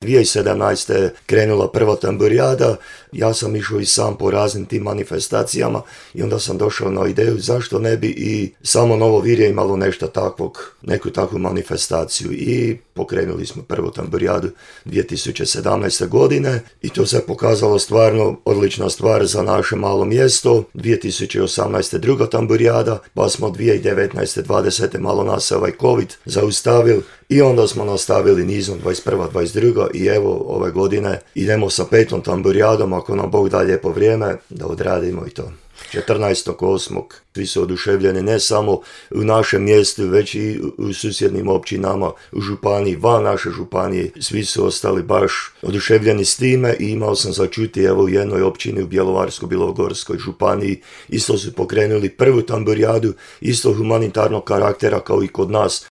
2017. je krenula prva tamburijada, ja sam išao i sam po raznim tim manifestacijama i onda sam došao na ideju zašto ne bi i samo Novo Virje imalo nešto takvog, neku takvu manifestaciju i pokrenuli smo prvu tamburijadu 2017. godine i to se pokazalo stvarno odlična stvar za naše malo mjesto. 2018. druga tamburijada, pa smo 2019. 20. malo nas se ovaj COVID zaustavili i onda smo nastavili nizom 21. 22. i evo ove godine idemo sa 5. tamburijadom, ako nam Bog da lijepo vrijeme da odradimo i to. 14.8. Svi su oduševljeni ne samo u našem mjestu, već i u susjednim općinama, u županiji, van naše županije. Svi su ostali baš oduševljeni s time i imao sam začuti evo u jednoj općini u Bjelovarsko-bilogorskoj županiji. Isto su pokrenuli prvu tamburijadu, isto humanitarnog karaktera kao i kod nas.